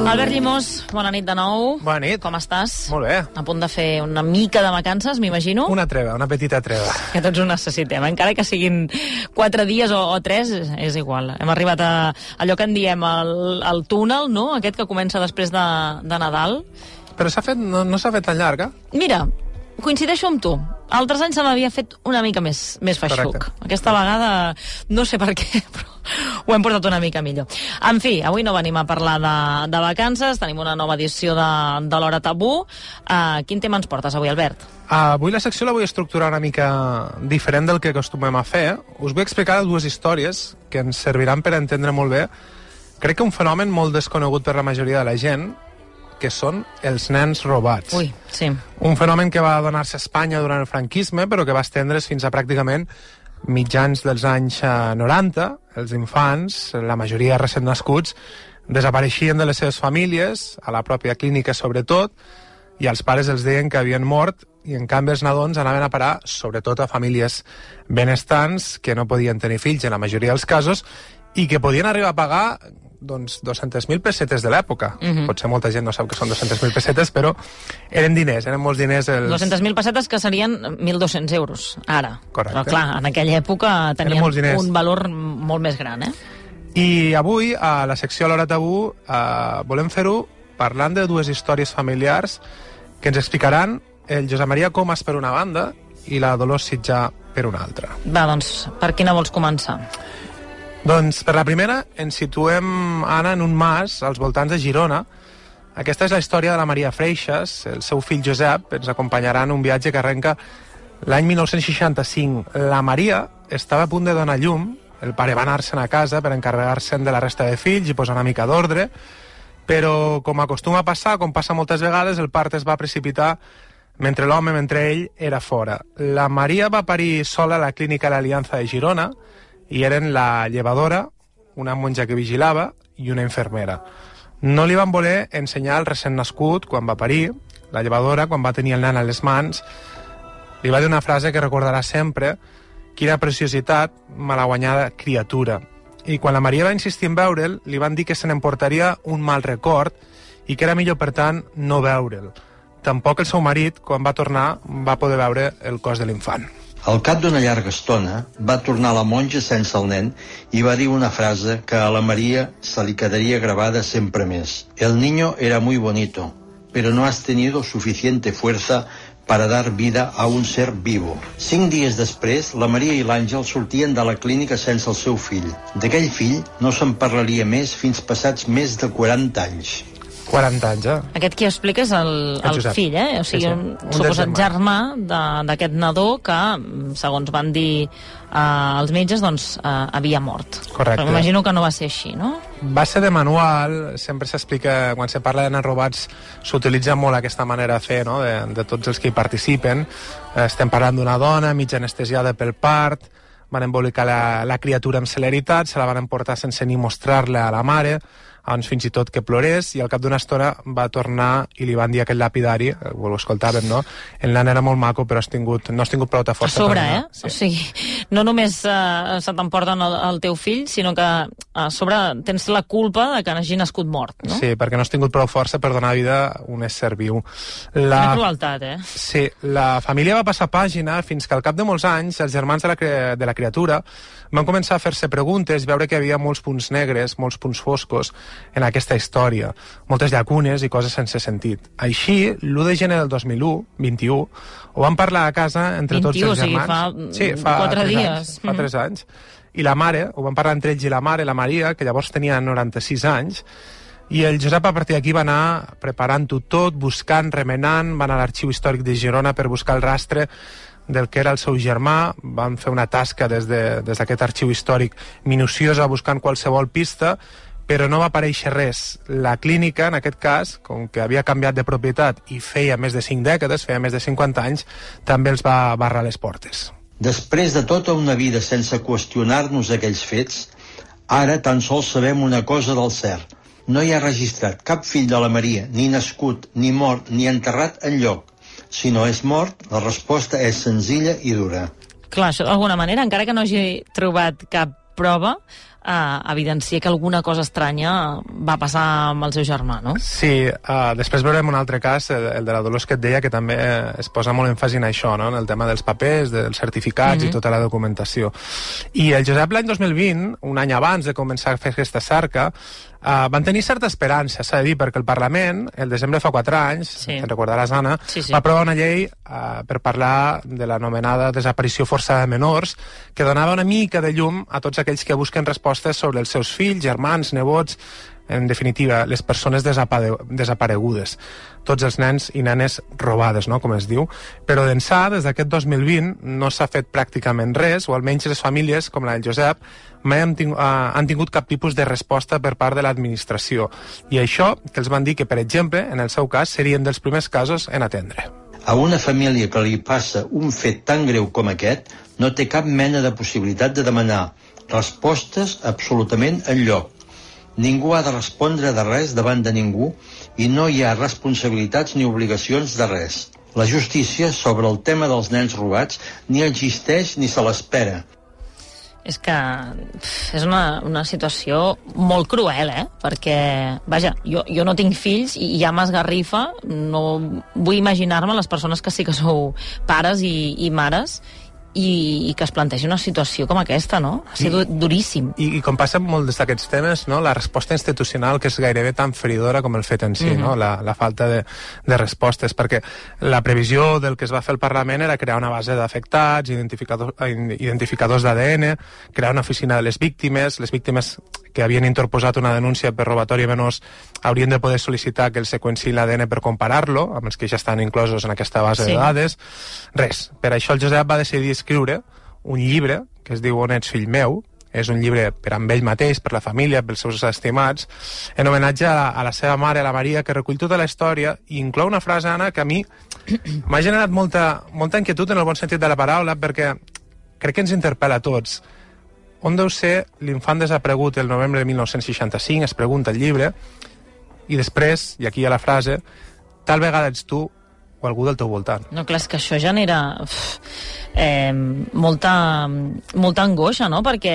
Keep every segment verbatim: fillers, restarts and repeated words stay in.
Albert Llimós, bona nit de nou. Bona nit. Com estàs? Molt bé. A punt de fer una mica de vacances, m'imagino? Una treva, una petita treva. Que tots ho necessitem, encara que siguin quatre dies o, o tres, és igual. Hem arribat a allò que en diem el, el túnel, no? Aquest que comença després de, de Nadal. Però s'ha fet, no, no s'ha fet tan llarga? Mira, coincideixo amb tu. Altres anys se m'havia fet una mica més, més feixuc. Correcte. Aquesta vegada, no sé per què, però ho hem portat una mica millor. En fi, avui no venim a parlar de, de vacances, tenim una nova edició de, de l'Hora Tabú. Uh, quin tema ens portes avui, Albert? Uh, avui la secció la vull estructurar una mica diferent del que acostumem a fer. Us vull explicar dues històries que ens serviran per entendre molt bé, crec que un fenomen molt desconegut per la majoria de la gent, que són els nens robats. Ui, sí. Un fenomen que va donar-se a Espanya durant el franquisme, però que va estendre's fins a pràcticament mitjans dels anys noranta. Els infants, la majoria recent nascuts, desapareixien de les seves famílies, a la pròpia clínica sobretot, i els pares els deien que havien mort, i en canvi els nadons anaven a parar sobretot a famílies benestants que no podien tenir fills en la majoria dels casos, i que podien arribar a pagar doncs dos-centes mil pessetes de l'època. Uh-huh. Potser molta gent no sap que són dos-centes mil pessetes, però eren diners, eren molts diners. Els... dos-centes mil pessetes que serien mil dos-cents euros, ara. Correcte. Però clar, en aquella època tenien un valor molt més gran, eh? I avui, a la secció a l'Hora Tabú, eh, volem fer-ho parlant de dues històries familiars que ens explicaran el Josep Maria Comas per una banda i la Dolors Sitjà per una altra. Va, doncs, per quina vols començar? Doncs per la primera ens situem, Anna, en un mas als voltants de Girona. Aquesta és la història de la Maria Freixas. El seu fill Josep ens acompanyarà en un viatge que arrenca l'any dinou seixanta-cinc. La Maria estava a punt de donar llum, el pare va anar-se'n a casa per encarregar-se'n de la resta de fills i posar una mica d'ordre, però com acostuma a passar, com passa moltes vegades, el part es va precipitar mentre l'home, mentre ell, era fora. La Maria va parir sola a la clínica l'Aliança de Girona, i eren la llevadora, una monja que vigilava i una infermera. No li van voler ensenyar el recent nascut quan va parir. La llevadora, quan va tenir el nen a les mans, li va dir una frase que recordarà sempre: quina preciositat, malaguanyada criatura. I quan la Maria va insistir en veure'l, li van dir que se n'emportaria un mal record i que era millor, per tant, no veure'l. Tampoc el seu marit, quan va tornar, va poder veure el cos de l'infant. Al cap d'una llarga estona, va tornar la monja sense el nen i va dir una frase que a la Maria se li quedaria grabada sempre més. El niño era muy bonito, pero no has tenido suficiente fuerza para dar vida a un ser vivo. Cinc dies després, la Maria i l'Àngel sortien de la clínica sense el seu fill. D'aquell fill no se'n parlaria més fins passats més de quaranta anys. quaranta anys, eh? Aquest qui explica és el, el, el fill, eh? O sigui, sí, sí. un, un suposat germà d'aquest nadó que, segons van dir eh, els metges, doncs eh, havia mort. Correcte. Però m'imagino que no va ser així, no? Va ser de manual, sempre s'explica, quan se parla de nens robats, s'utilitza molt aquesta manera de fer, no?, de, de tots els que hi participen. Estem parlant d'una dona mig anestesiada pel part, van embolicar la, la criatura amb celeritat, se la van emportar sense ni mostrar-la a la mare, abans fins i tot que plorés, i al cap d'una estona va tornar i li van dir a aquell lapidari, ho escoltàvem, no? El nen era molt maco, però has tingut, no has tingut prou de força. A sobre, eh? Sí. O sigui, no només uh, se t'emporten el, el teu fill, sinó que a sobre tens la culpa de que hagi nascut mort, no? Sí, perquè no has tingut prou força per donar vida a un ésser viu. La... Una crueltat, eh? Sí, la família va passar pàgina fins que al cap de molts anys els germans de la, de la criatura van començar a fer-se preguntes, veure que hi havia molts punts negres, molts punts foscos en aquesta història, moltes llacunes i coses sense sentit. Així, l'u de gener del dos mil u, vint-i-u, ho van parlar a casa entre tots els germans. O sigui, fa, sí, fa quatre dies. Anys, fa tres anys. I la mare, ho van parlar entre ells i la mare, la Maria, que llavors tenia noranta-sis anys, i el Josep a partir d'aquí va anar preparant-ho tot, buscant, remenant, va anar a l'Arxiu Històric de Girona per buscar el rastre del que era el seu germà. Van fer una tasca des de, des d'aquest arxiu històric minuciosa buscant qualsevol pista, però no va aparèixer res. La clínica, en aquest cas, com que havia canviat de propietat i feia més de cinc dècades, feia més de cinquanta anys, també els va barrar les portes. Després de tota una vida sense qüestionar-nos aquells fets, ara tan sols sabem una cosa del cert. No hi ha registrat cap fill de la Maria, ni nascut, ni mort, ni enterrat enlloc. Si no és mort, la resposta és senzilla i dura. Clar, això d'alguna manera, encara que no hagi trobat cap prova, eh, evidencia que alguna cosa estranya va passar amb el seu germà, no? Sí, uh, després veurem un altre cas, el, el de la Dolors que et deia, que també es posa molt èmfasi en això, no? En el tema dels papers, dels certificats mm-hmm. i tota la documentació. I el Josep l'any dos mil vint, un any abans de començar a fer aquesta cerca, Uh, van tenir certa esperança, s'ha de dir, perquè el Parlament, el desembre fa quatre anys, sí. te'n recordaràs, Anna, sí, sí. va aprovar una llei uh, per parlar de l'anomenada desaparició forçada de menors, que donava una mica de llum a tots aquells que busquen respostes sobre els seus fills, germans, nebots, en definitiva, les persones desapare desaparegudes, tots els nens i nenes robades, no?, com es diu. Però d'ençà, des d'aquest dos mil vint, no s'ha fet pràcticament res, o almenys les famílies, com la del Josep, mai han, ting uh, han tingut cap tipus de resposta per part de l'administració. I això, que els van dir que, per exemple, en el seu cas, serien dels primers casos en atendre. A una família que li passa un fet tan greu com aquest, no té cap mena de possibilitat de demanar respostes absolutament enlloc. Ningú ha de respondre de res davant de ningú i no hi ha responsabilitats ni obligacions de res. La justícia sobre el tema dels nens robats ni existeix ni se l'espera. És que és una, una situació molt cruel, eh? Perquè, vaja, jo, jo no tinc fills i ja m'esgarrifa, no vull imaginar-me les persones que sí que sou pares i, i mares, i, i que es plantegi una situació com aquesta, no? Ha sigut I, duríssim. I, I com passa amb molts d'aquests temes, no? La resposta institucional, que és gairebé tan feridora com el fet en si, mm-hmm. no? La, la falta de, de respostes, perquè la previsió del que es va fer al Parlament era crear una base d'afectats, identificador, identificadors d'A D N, crear una oficina de les víctimes, les víctimes que havien interposat una denúncia per robatori a menors haurien de poder sol·licitar que el seqüenciï l'A D N per comparar-lo amb els que ja estan inclosos en aquesta base sí. de dades. Res. Per això el Josep va decidir escriure un llibre que es diu On ets, fill meu. És un llibre per amb ell mateix, per la família, pels seus estimats, en homenatge a, a la seva mare, a la Maria, que recull tota la història i inclou una frase, Anna, que a mi m'ha generat molta, molta inquietud en el bon sentit de la paraula, perquè crec que ens interpel·la a tots. On deu ser l'infant desaparegut el novembre de mil nou-cents seixanta-cinc, es pregunta el llibre, i després, i aquí hi ha la frase, tal vegada ets tu o algú del teu voltant. No, clar, és que això genera uf, eh, molta, molta angoixa, no?, perquè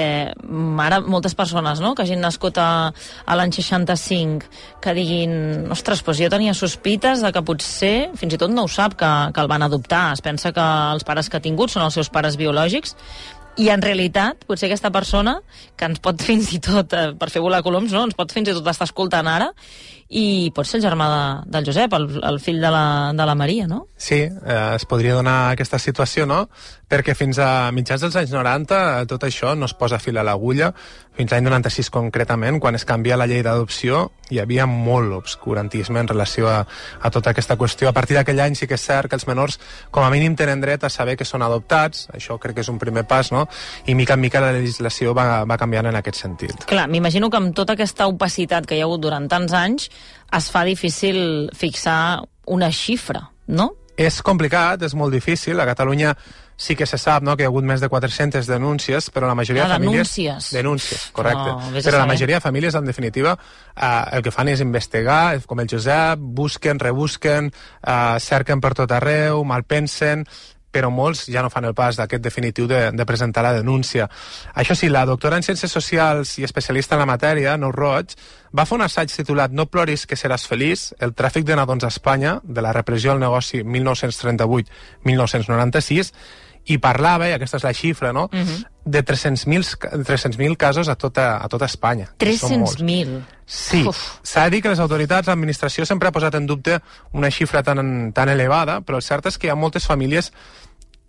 ara moltes persones, no?, que hagin nascut a, a l'any seixanta-cinc, que diguin, ostres, doncs jo tenia sospites de que potser, fins i tot no ho sap, que, que el van adoptar, es pensa que els pares que ha tingut són els seus pares biològics, i en realitat, potser aquesta persona, que ens pot fins i tot, eh, per fer volar coloms, no?, ens pot fins i tot estar escoltant ara, i pot ser el germà de, del Josep, el, el fill de la, de la Maria, no? Sí, eh, es podria donar aquesta situació, no? Perquè fins a mitjans dels anys noranta tot això no es posa fil a l'agulla. Fins l'any noranta-sis concretament, quan es canvia la llei d'adopció, hi havia molt obscurantisme en relació a, a tota aquesta qüestió. A partir d'aquell any sí que és cert que els menors com a mínim tenen dret a saber que són adoptats, això crec que és un primer pas, no? I mica en mica la legislació va, va canviant en aquest sentit. Clar, m'imagino que amb tota aquesta opacitat que hi ha hagut durant tants anys es fa difícil fixar una xifra, no? És complicat, és molt difícil. A Catalunya sí que se sap, no?, que hi ha hagut més de quatre-centes denúncies, però la majoria ah, de famílies... denúncies. Denúncies, correcte. No, però la majoria de famílies, en definitiva, eh, el que fan és investigar, com el Josep, busquen, rebusquen, eh, cerquen per tot arreu, malpensen, però molts ja no fan el pas d'aquest definitiu de, de presentar la denúncia. Això sí, la doctora en Ciències Socials i especialista en la matèria, Neus Roig, va fer un assaig titulat No ploris que seràs feliç, el tràfic de nadons a Espanya, de la repressió al negoci mil nou-cents trenta-vuit a mil nou-cents noranta-sis, i parlava, i aquesta és la xifra, no?, uh-huh. de tres-cents mil casos a tota, a tota Espanya. tres-cents mil? Sí. S'ha de dir que les autoritats, l'administració sempre ha posat en dubte una xifra tan, tan elevada, però el cert és que hi ha moltes famílies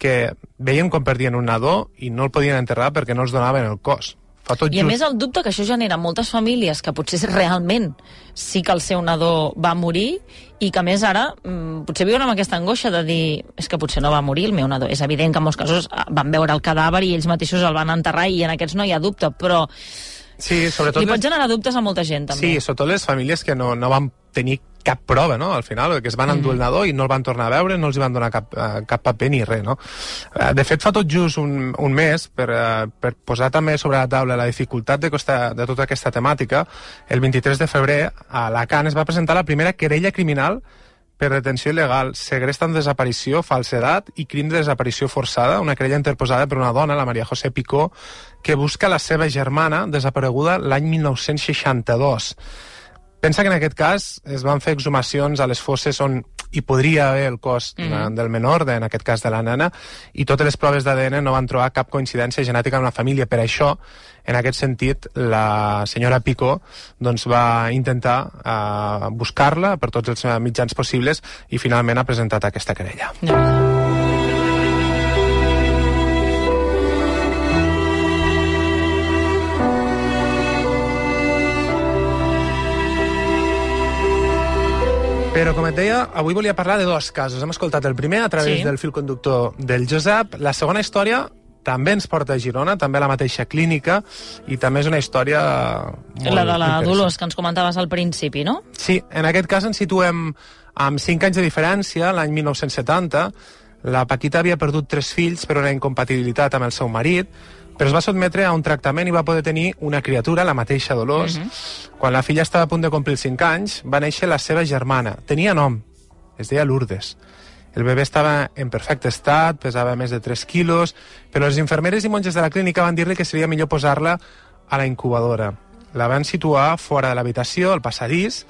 que veien com perdien un nadó i no el podien enterrar perquè no els donaven el cos. Fa tot I a just... més el dubte que això genera moltes famílies que potser realment sí que el seu nadó va morir i que a més ara mmm, potser viuen amb aquesta angoixa de dir és que potser no va morir el meu nadó. És evident que en molts casos van veure el cadàver i ells mateixos el van enterrar i en aquests no hi ha dubte, però sí, sobretot li pot les... generar dubtes a molta gent també. Sí, sobretot les famílies que no, no van tenir cap prova, no?, al final, que es van endur mm. el nadó i no el van tornar a veure, no els van donar cap, uh, cap paper ni res, no? Uh, de fet, fa tot just un, un mes, per, uh, per posar també sobre la taula la dificultat de, costa, de tota aquesta temàtica, el vint-i-tres de febrer, a Alacant es va presentar la primera querella criminal per detenció il·legal, segrest amb desaparició, falsedat i crim de desaparició forçada, una querella interposada per una dona, la María José Picó, que busca la seva germana desapareguda l'any mil nou-cents seixanta-dos. Pensa que en aquest cas es van fer exhumacions a les fosses on hi podria haver el cos mm-hmm. del menor, en aquest cas de la nena, i totes les proves d'A D N no van trobar cap coincidència genètica amb la família. Per això, en aquest sentit, la senyora Picó doncs, va intentar uh, buscar-la per tots els mitjans possibles i finalment ha presentat aquesta querella. No. Però, com et deia, avui volia parlar de dos casos. Hem escoltat el primer a través sí. del fil conductor del Josep. La segona història també ens porta a Girona, també a la mateixa clínica, i també és una història molt la de la Dolors, que ens comentaves al principi, no? Sí, en aquest cas ens situem amb cinc anys de diferència, l'any mil nou-cents setanta. La Paquita havia perdut tres fills per una incompatibilitat amb el seu marit, però es va sotmetre a un tractament i va poder tenir una criatura, la mateixa Dolors. Uh-huh. Quan la filla estava a punt de complir cinc anys, va néixer la seva germana. Tenia nom, es deia Lourdes. El bebè estava en perfecte estat, pesava més de tres quilos, però les infermeres i monges de la clínica van dir-li que seria millor posar-la a la incubadora. La van situar fora de l'habitació, al passadís,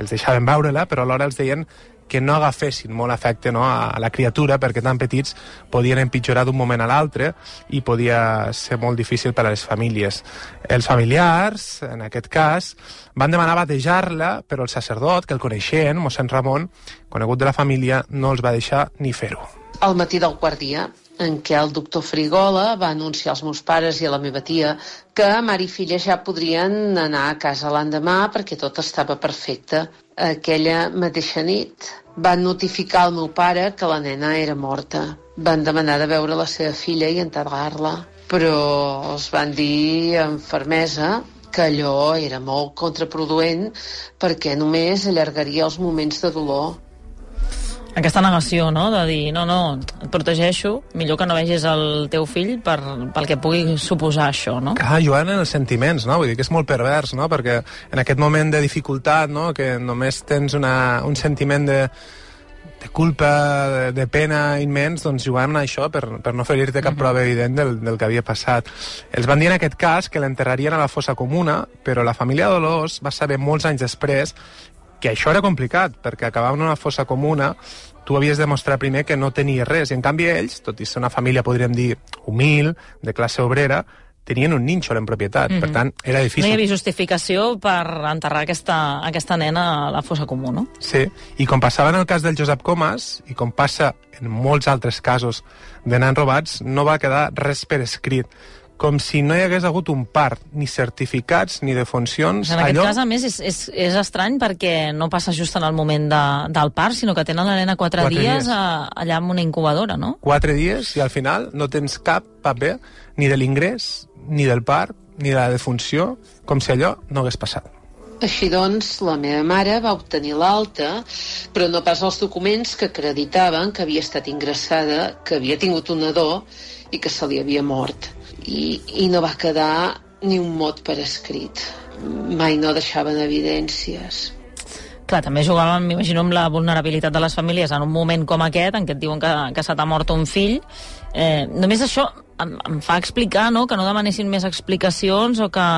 els deixaven veure-la, però alhora els deien que no agafessin molt afecte, no, a la criatura, perquè tan petits podien empitjorar d'un moment a l'altre i podia ser molt difícil per a les famílies. Els familiars, en aquest cas, van demanar batejar-la, però el sacerdot, que el coneixien, mossèn Ramon, conegut de la família, no els va deixar ni fer-ho. Al matí del quart dia, en què el doctor Frigola va anunciar als meus pares i a la meva tia que mare i filla ja podrien anar a casa l'endemà perquè tot estava perfecte. Aquella mateixa nit van notificar al meu pare que la nena era morta. Van demanar de veure la seva filla i enterrar-la, però els van dir amb fermesa que allò era molt contraproduent perquè només allargaria els moments de dolor. Aquesta negació, no?, de dir, no, no, et protegeixo, millor que no vegis el teu fill per, pel que pugui suposar això, no? Clar, jugant en els sentiments, no? Vull dir que és molt pervers, no? Perquè en aquest moment de dificultat, no?, que només tens una, un sentiment de, de culpa, de, de pena immens, doncs jugant a això per, per no ferir-te cap prova evident del, del que havia passat. Els van dir en aquest cas que l'enterrarien a la fossa comuna, però la família Dolors va saber molts anys després que això era complicat, perquè acabar en una fossa comuna tu havies de mostrar primer que no tenies res, i en canvi ells, tot i ser una família, podríem dir, humil, de classe obrera, tenien un nínxol en propietat, mm-hmm. per tant, era difícil. No hi havia justificació per enterrar aquesta, aquesta nena a la fossa comuna, no? Sí, i com passava en el cas del Josep Comas, i com passa en molts altres casos de nens robats, no va quedar res per escrit, com si no hi hagués hagut un part, ni certificats, ni defuncions. En aquest allò... cas, a més, és, és, és estrany perquè no passa just en el moment de, del part, sinó que tenen la nena quatre, quatre dies, dies. A, allà en una incubadora, no? Quatre dies, i al final no tens cap paper ni de l'ingrés, ni del part, ni de la defunció, com si allò no hagués passat. Així doncs, la meva mare va obtenir l'alta, però no pas els documents que acreditaven que havia estat ingressada, que havia tingut un nadó i que se li havia mort. I, i no va quedar ni un mot per escrit. Mai no deixaven evidències. Clar, també jugàvem, m'imagino, amb la vulnerabilitat de les famílies en un moment com aquest, en què et diuen que, que se t'ha mort un fill. Eh, només això em, em fa explicar, no?, que no demanessin més explicacions o que...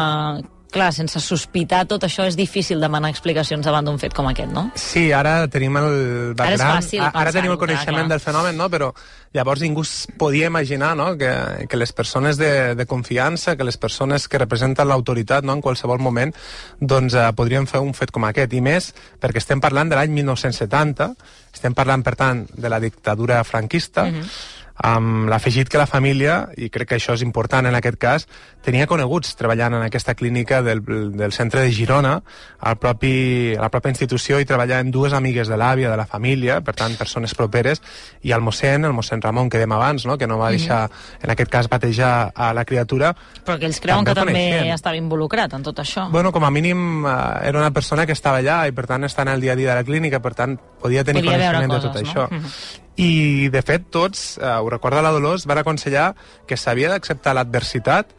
Clar, sense sospitar tot això és difícil demanar explicacions davant d'un fet com aquest, no? Sí, ara tenim el background, ara, és fàcil ara tenim el coneixement clar, clar. del fenomen, no? Però llavors ningú podia imaginar, no?, que, que les persones de, de confiança, que les persones que representen l'autoritat, no?, en qualsevol moment, doncs eh, podrien fer un fet com aquest. I més perquè estem parlant de l'any mil nou-cents setanta, estem parlant, per tant, de la dictadura franquista, mm-hmm. amb l'afegit que la família, i crec que això és important en aquest cas, tenia coneguts treballant en aquesta clínica del, del centre de Girona, al propi, a la pròpia institució, i treballaven dues amigues de l'àvia, de la família, per tant, persones properes, i el mossèn, el mossèn Ramon, que dèiem abans, no?, que no va deixar, mm. en aquest cas, batejar a la criatura. Però que ells creuen també que també coneixen. Estava involucrat en tot això. Bueno, com a mínim, eh, era una persona que estava allà, i per tant, està en el dia a dia de la clínica, per tant, podia tenir podia coneixement coses, de tot no? això. Mm-hmm. I, de fet, tots, eh, ho recorda la Dolors, van aconsellar que s'havia d'acceptar l'adversitat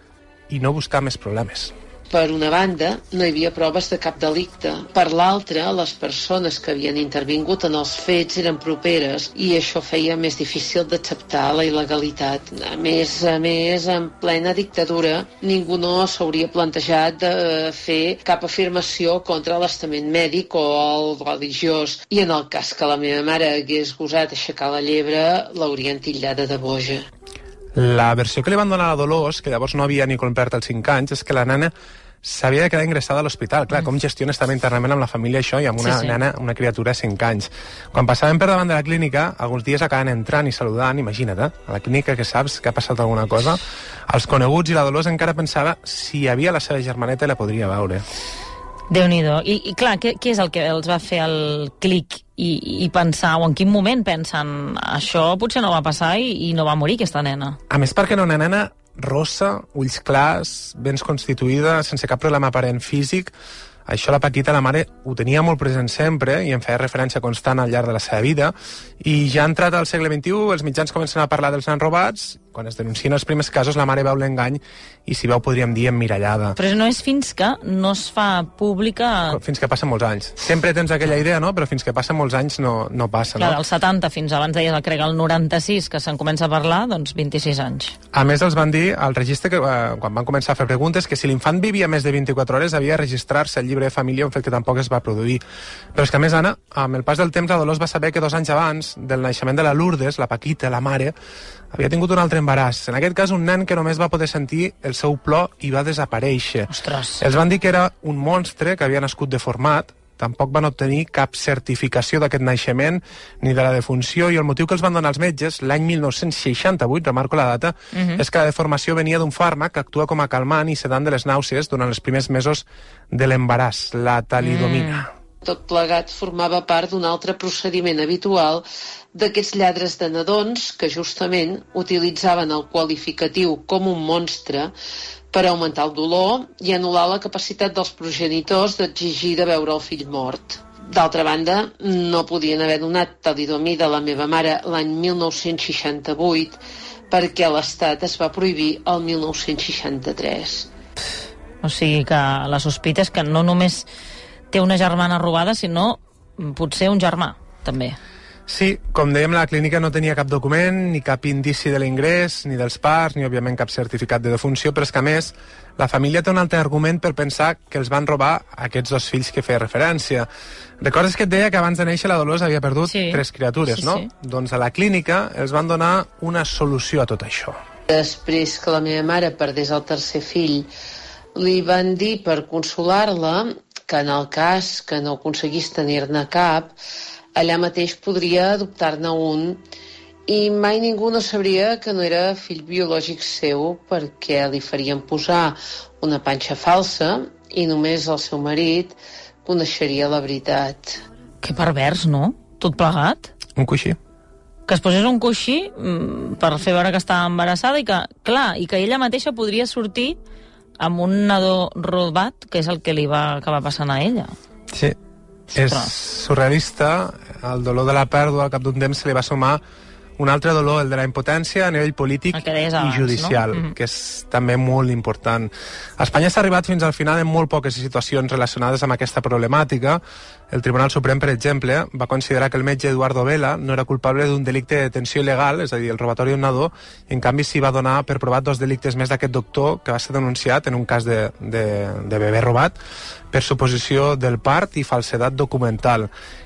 i no buscar més problemes. Per una banda, no hi havia proves de cap delicte. Per l'altra, les persones que havien intervingut en els fets eren properes i això feia més difícil d'acceptar la il·legalitat. A més a més, en plena dictadura, ningú no s'hauria plantejat de fer cap afirmació contra l'estament mèdic o el religiós. I en el cas que la meva mare hagués gosat aixecar la llebre, l'haurien titllada de boja. La versió que li van donar a la Dolors, que llavors no havia ni complert els cinc anys, és que la nena s'havia de quedar ingressada a l'hospital. Clar, mm. com gestiones també internament amb la família això i amb una sí, sí. nena, una criatura de cinc anys. Quan passàvem per davant de la clínica, alguns dies acaben entrant i saludant, imagina't, eh? A la clínica que saps que ha passat alguna cosa, els coneguts i la Dolors encara pensava si hi havia la seva germaneta i la podria veure. Déu-n'hi-do. I, i clar, què, què és el que els va fer el clic i, i pensar, o en quin moment pensen això potser no va passar i, i no va morir aquesta nena? A més, perquè era una nena rossa, ulls clars, ben constituïda, sense cap problema aparent físic. Això la Paquita, la mare, ho tenia molt present sempre i en feia referència constant al llarg de la seva vida. I ja entrat al segle vint-i-u, els mitjans comencen a parlar dels nens robats. Quan es denuncien els primers casos, la mare veu l'engany i, si veu, podríem dir emmirallada. Però no és fins que no es fa pública... Fins que passen molts anys. Sempre tens aquella idea, no? Però fins que passen molts anys no, no passa, Clar, no? dels setanta fins abans deies, crec, el noranta-sis, que se'n comença a parlar, doncs vint-i-sis anys. A més, els van dir al registre, que eh, quan van començar a fer preguntes, que si l'infant vivia més de vint-i-quatre hores havia de registrar-se al llibre de família, un fet que tampoc es va produir. Però és que, a més, Anna, amb el pas del temps, la Dolors va saber que dos anys abans del naixement de la Lourdes, la Paquita, la mare, havia tingut un altre embaràs. En aquest cas, un nen que només va poder sentir el seu plor i va desaparèixer. Ostres. Els van dir que era un monstre que havia nascut deformat, tampoc van obtenir cap certificació d'aquest naixement ni de la defunció, i el motiu que els van donar els metges l'any mil nou-cents seixanta-vuit, remarco la data, uh-huh. és que la deformació venia d'un fàrmac que actua com a calmant i sedant de les nàusees durant els primers mesos de l'embaràs, la talidomina. Mm. Tot plegat formava part d'un altre procediment habitual d'aquests lladres de nadons que justament utilitzaven el qualificatiu com un monstre per augmentar el dolor i anul·lar la capacitat dels progenitors d'exigir de veure el fill mort. D'altra banda, no podien haver donat talidomida a la meva mare l'any mil nou-cents seixanta-vuit perquè l'Estat es va prohibir el mil nou-cents seixanta-tres. O sigui que la sospita és que no només té una germana robada, sinó potser un germà, també. Sí, com dèiem, la clínica no tenia cap document, ni cap indici de l'ingrés, ni dels parts, ni, òbviament, cap certificat de defunció, però és que, a més, la família té un altre argument per pensar que els van robar aquests dos fills que feia referència. Recordes que et deia que abans de néixer la Dolors havia perdut sí. tres criatures, sí, no? Sí. Doncs a la clínica els van donar una solució a tot això. Després que la meva mare perdés el tercer fill, li van dir, per consolar-la, que en el cas que no aconseguís tenir-ne cap, allà mateix podria adoptar-ne un, i mai ningú no sabria que no era fill biològic seu perquè li farien posar una panxa falsa i només el seu marit coneixeria la veritat. Que pervers, no? Tot plegat? Un coixí. Que es posés un coixí per fer veure que estava embarassada i que, clar, i que ella mateixa podria sortir amb un nadó robat, que és el que li va acabar passant a ella. Sí, és surrealista. El dolor de la pèrdua al cap d'un temps se li va sumar un altre dolor, el de la impotència a nivell polític abans, i judicial, no? mm-hmm. que és també molt important. A Espanya s'ha arribat fins al final en molt poques situacions relacionades amb aquesta problemàtica. El Tribunal Suprem, per exemple, va considerar que el metge Eduardo Vela no era culpable d'un delicte de detenció il·legal, és a dir, el robatori d'un nadó, i en canvi s'hi va donar per provat dos delictes més d'aquest doctor, que va ser denunciat en un cas de, de, de bebè robat per suposició del part i falsedat documental.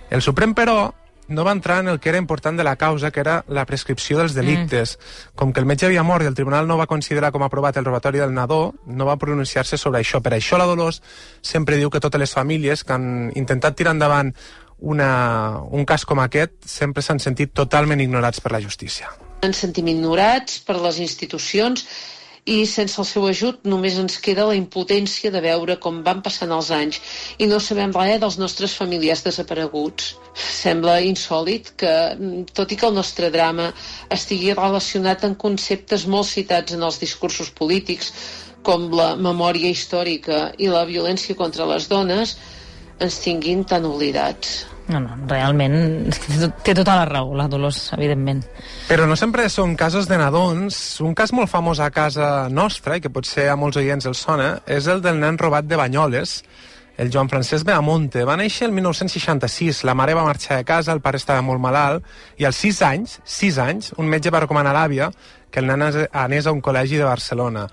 El Suprem, però, no va entrar en el que era important de la causa, que era la prescripció dels delictes. Mm. Com que el metge havia mort i el tribunal no va considerar com aprovat el robatori del nadó, no va pronunciar-se sobre això. Per això la Dolors sempre diu que totes les famílies que han intentat tirar endavant una, un cas com aquest sempre s'han sentit totalment ignorats per la justícia. Ens sentim ignorats per les institucions i sense el seu ajut només ens queda la impotència de veure com van passant els anys i no sabem res dels nostres familiars desapareguts. Sembla insòlit que, tot i que el nostre drama estigui relacionat amb conceptes molt citats en els discursos polítics, com la memòria històrica i la violència contra les dones, ens tinguin tan oblidats. No, no, realment té tota la raó, la Dolors, evidentment. Però no sempre són casos de nadons. Un cas molt famós a casa nostra, i que potser a molts oients els sona, és el del nen robat de Banyoles, el Joan Francesc Beamonte. Va néixer el mil nou-cents seixanta-sis, la mare va marxar de casa, el pare estava molt malalt, i als sis anys, sis anys, un metge va recomanar a l'àvia que el nen anés a un col·legi de Barcelona.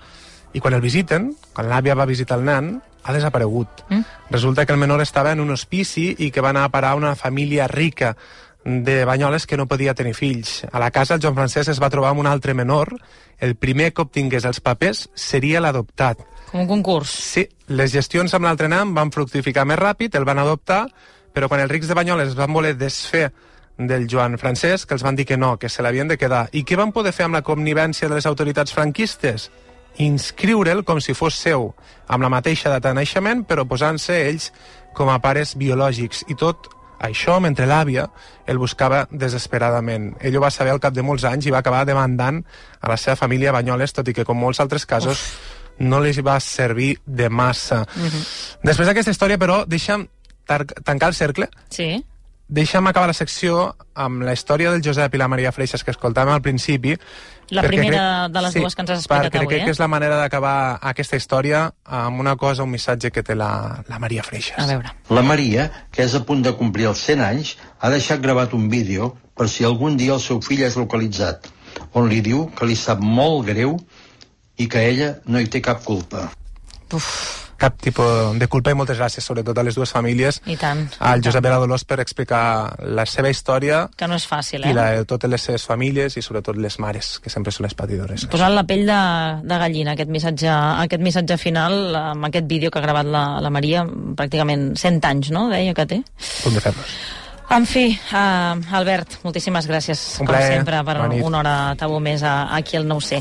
I quan el visiten, quan l'àvia va visitar el nen, ha desaparegut. Mm? Resulta que el menor estava en un hospici i que va anar a parar a una família rica de Banyoles que no podia tenir fills. A la casa el Joan Francesc es va trobar amb un altre menor. El primer que obtingués els papers seria l'adoptat. Com un concurs. Sí, les gestions amb l'altre nen van fructificar més ràpid, el van adoptar, però quan els rics de Banyoles es van voler desfer del Joan Francesc, els van dir que no, que se l'havien de quedar. I què van poder fer amb la connivència de les autoritats franquistes? Inscriure'l com si fos seu, amb la mateixa data de naixement, però posant-se ells com a pares biològics. I tot això mentre l'àvia el buscava desesperadament. Ell ho va saber al cap de molts anys i va acabar demandant a la seva família a Banyoles, tot i que, com molts altres casos, Uf. no li va servir de massa. Uh-huh. Després d'aquesta història, però, deixa'm tancar el cercle. Sí. Deixa'm acabar la secció amb la història del Josep i la Maria Freixas que escoltàvem al principi. La primera crec, de les sí, dues que ens has explicat perquè avui, crec eh? que és la manera d'acabar aquesta història amb una cosa, un missatge que té la, la Maria Freixas. A veure. La Maria, que és a punt de complir els cent anys, ha deixat gravat un vídeo per si algun dia el seu fill és localitzat, on li diu que li sap molt greu i que ella no hi té cap culpa. Uf. Cap tipus de culpa i moltes gràcies, sobretot a les dues famílies. I tant. Al Josep i a la Dolors per explicar la seva història. Que no és fàcil, eh? I la de totes les seves famílies i sobretot les mares, que sempre són les patidores. Posant la pell de, de gallina, aquest missatge, aquest missatge final, amb aquest vídeo que ha gravat la, la Maria, pràcticament cent anys, no?, deia que té. Punt de fer-nos. En fi, uh, Albert, moltíssimes gràcies, Un com plaer. sempre, per una hora tabú més a, aquí al nou C.